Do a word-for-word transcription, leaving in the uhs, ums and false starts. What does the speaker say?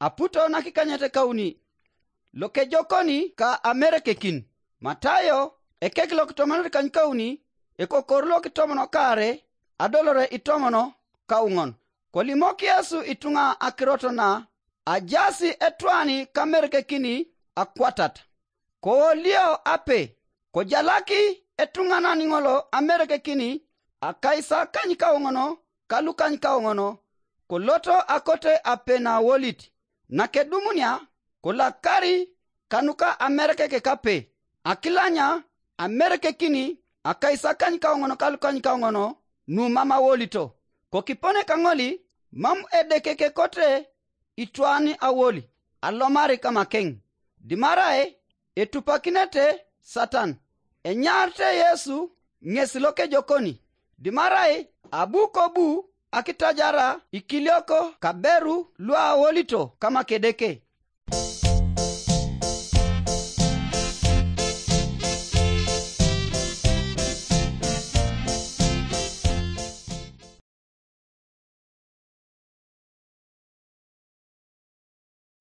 aputo nakikanyet kauni. Lokejokoni ka amerekekin. Matayo ekek lokitomonot kanykauni, ekokor lokitomono kare, adolore itomono kauŋon. Kolimok Yesu ituŋa akirot na ajasi etwani kamerekekini akwatat. Kowolio ape, kojalaki etuŋanan ŋolo amerekekini akaisakany kauŋono ka lukany kauŋono, koloto akote ape na wolit. Nakedumunia, kolakari kanuka amerekek kape, akilanya amerekekini akaisakany kauŋono ka lukany kauŋono nu mam awolito. Kokipone kaŋoli, mam Edeke kekote itwani awoli alomari kamakeŋ, dimarai etupakinete Satan. Enyaarite Yesu ŋes lokejokoni, dimarai abu kobu akitajara ikilioko kaberu luawolito kamakedeke.